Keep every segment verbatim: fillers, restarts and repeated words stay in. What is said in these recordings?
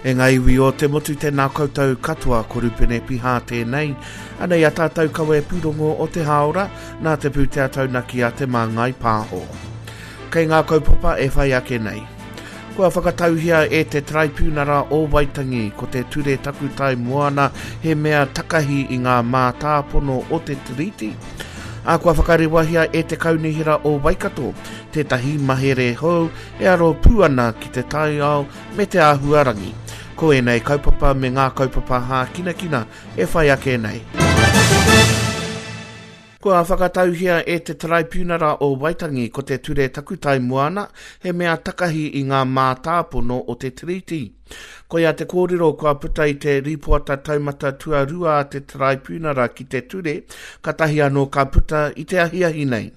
E ngā iwi o te motu tēnā koutou katoa ko Rupene Pihā tēnei. Anei a tātou kawe pūrongo o te hāora, nā te pūtea taunaki a Te Māngai Pāho. Kei ngā kaupapa e whai ake nei. Kua whakatauhia e te Taraipiunara o Waitangi ko te ture takutai moana he mea takahi i ngā mātāpono o te tiriti. A kua whakarewahia e te Kaunihera o Waikato tētahi mahere hou e aro pū ana ki te taiao me te āhuarangi. Ko ēnei kaupapa me ngā kaupapa hākinakina e whai ake nei. Kua whakatauhia e te Taraipiunara o Waitangi ko te ture takutai moana he mea takahi i ngā mātāpono o te tiriti. Koia te kōrero kua puta i te rīpoata taumata tuarua a te Taraipiunara ki te ture, katahi anō ka puta i te ahiahi nei.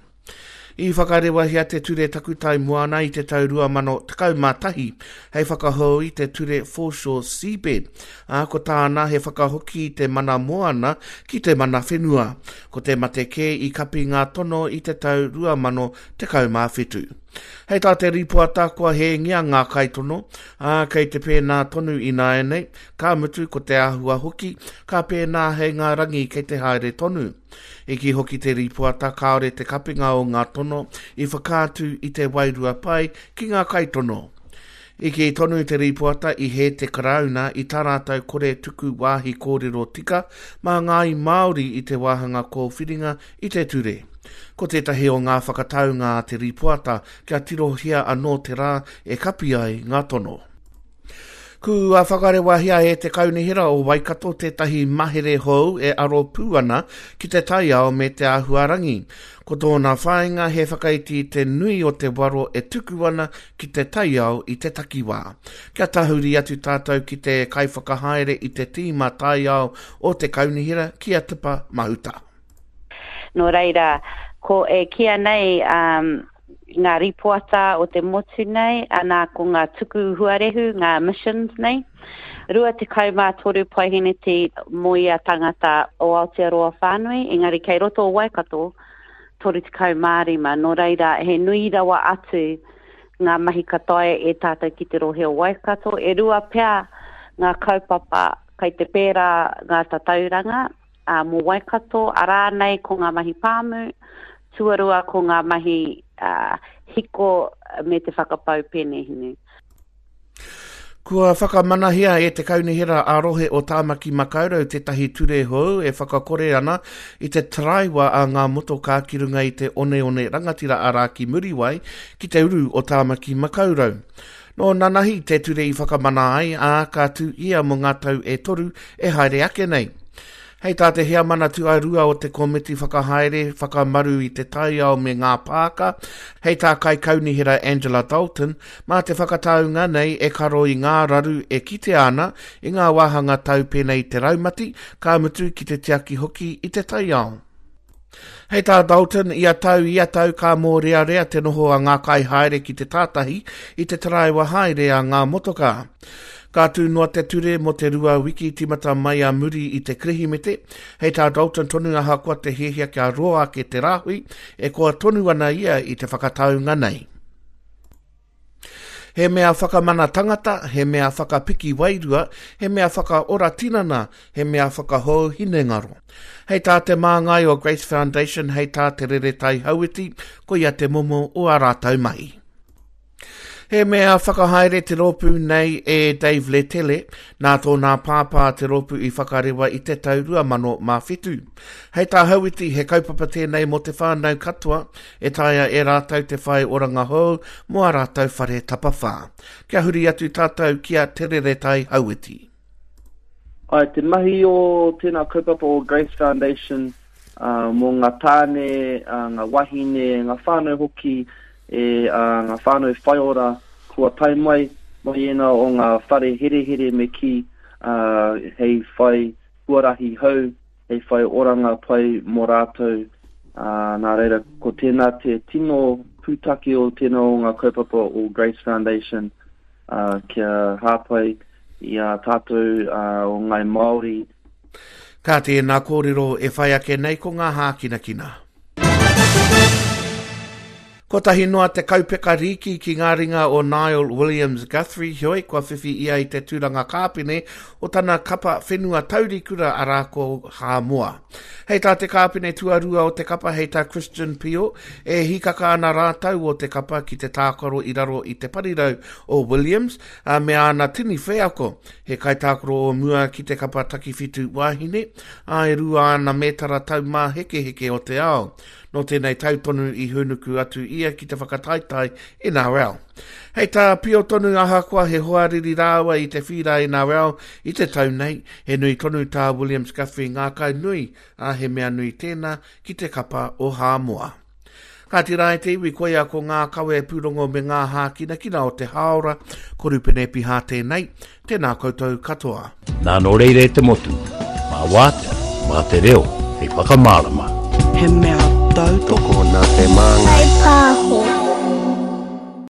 I whakarewahia te ture takutai moana i te tau rua mano tekau mā tahi hei whakahou i te ture Foreshore Seabed, ā, ko tāna he whakahoki i te mana moana ki te mana whenua. Ko te mate kē i kapi ngā tono i te tau rua mano tekau mā whitu. Hei tā te rīpoata kua hēngia ngā kaitono, ā, kei te pēnā tonu ināianei, ka mutu ko te āhua hoki, ka pēnā hei ngā rangi kei te haere tonu. I kī hoki te rīpoata kāore te kapinga o ngā tono i whakaatu i te wairua pai ki ngā kaitono. I kī tonu te rīpoata i hē te Karauna i tā rātou kore tuku wāhi kōrero tika mā ngāi Māori i te wāhanga kōwhiringa i te ture. Ko tētahi o ngā whakataunga a te rīpoata kia tirohia anō te rā e kapi ai ngā tono. Kua whakarewahia e te Kaunihera o Waikato tētahi mahere hou e aro pū ana ki te taiao me te āhuarangi. Ko tōna whāinga he whakaiti i te nui o te waro e tuku ana ki te taiao i te takiwā. Kia tahuri atu tātou ki te kaiwhakahaere i te tīma taiao o te Kaunihera ki a Tipa Mahuta. Nō reira, ko e kīa nei um, ngā rīpoata o te motu nei, ana ko ngā tuku huarehu, ngā emissions nei. Rua tekau mā toru paeheneti mō ia tangata o Aotearoa whānui, engari kei roto o Waikato, toru tekau mā rima. Nō reira, he nui rawa atu ngā mahi ka taea e tātou ki te rohe o Waikato. E rua pea ngā kaupapa kei te pērā ngā tatauranga uh, mō Waikato, arā nei ko ngā mahi pāmu, tuarua ko ngā mahi uh, hiko me te whakapau penehinu. Kua whakamanahia e te Kaunihera ā-rohe o Tāmaki Makaurau tētahi ture hou e whakakore ana i te taraiwa a ngā motokā ki runga i te oneone rangatira arā ki Muriwai ki te uru o Tāmaki Makaurau. Nō nanahi te ture i whakamana ai, ā, ka tū ia mō ngā tau e toru e haere ake nei. Hei tā te heamana tuarua o te komiti whakahaere whakamaru i te taiao me ngā pāka, hei tā kaikaunihera Angela Dalton, mā te whakataunga nei e karo i ngā raru e kitea ana i ngā wāhanga tau pēnei i te raumati, ka mutu ki te tiaki hoki i te taiao. Hei tā Dalton, ia tau, ia tau ka mōrearea te noho a ngā kaihaere ki te tātahi i te taraiwa haere a ngā motokā. Ka tū noa te ture mō te rua wiki tīmata mai a muri i te Kirihimete. Hei tā Dalton tonu ahakoa te hiahia kia roa ake te rāhui, e koa tonu ana ia i te whakataunga nei. He mea whakamana tangata, he mea whakapiki wairua, he mea whakaora tinana, he mea whakahou hinengaro. Hei tā te māngai o Grace Foundation, hei tā te Reretai Hauiti, koia te momo o ā rātou mahi. He mea whakahaere te rōpū nei e Dave Letele, nā tōna pāpā te rōpū i whakarewa i te tau rua mano mā whitu. Hei tā Hauiti, he kaupapa tēnei mō te whānau katoa, e taea e rātou te whai oranga hou mō ā rātou whare tapawhā. Kia huri atu tātou ki a Te Reretai Hauiti. Ai, te mahi o tēnā kaupapa o Grace Foundation uh, mō ngā tāne, uh, ngā wahine, ngā whānau hoki, e uh, ngā whānau whaiora kua tae mai, mai ēnā o ngā whare herehere me ki uh, hei whai huarahi hou, hei whai oranga pai mō rātou. Uh, nā reira, ko tēnā te tino pūtake o tēnā o ngā kaupapa o Grace Foundation uh, kia hāpai i a tātou uh, o Ngai Māori. Ka tēnā kōrero e whai ake nei ko ngā hākinakina. Kotahi noa te kaupeka rīki ki ngā ringa o Niall Williams Guthrie, heoi kua whiwhi ia i te tūranga kāpene o tana kapa whenua taurikura arā ko Hāmoa. Hei tā te kāpene tuarua o te kapa, hei tā Christian Pio, e hikaka ana rātau o te kapa ki te tākaro i raro i te parirau o Williams, a me āna tini wheako, he kaitākaro o mua ki te kapa takiwhitu wāhine, a e rua ana mētara taumāhekeheke o te ao. Nō tēnei tau tonu i hūnuku atu ia ki te whakataetae N R L. Hei tā Pio tonu, ahakoa he hoariri rāua i te whīra N R L i te tau nei, he nui tonu tā Williams Guthrie ngākau nui, a he mea nui tēnā ki te kapa o Hāmoa. Kāti rā e te iwi, koia ko ngā kawe pūrongo me ngā hākinakina o te hāora, ko Rupene Piha tēnei, tēnā koutou katoa. Nā nō reira e te motu, mā wātea, mā te reo, hei whakamārama. He mea tautoko nā te māngai. Pāho.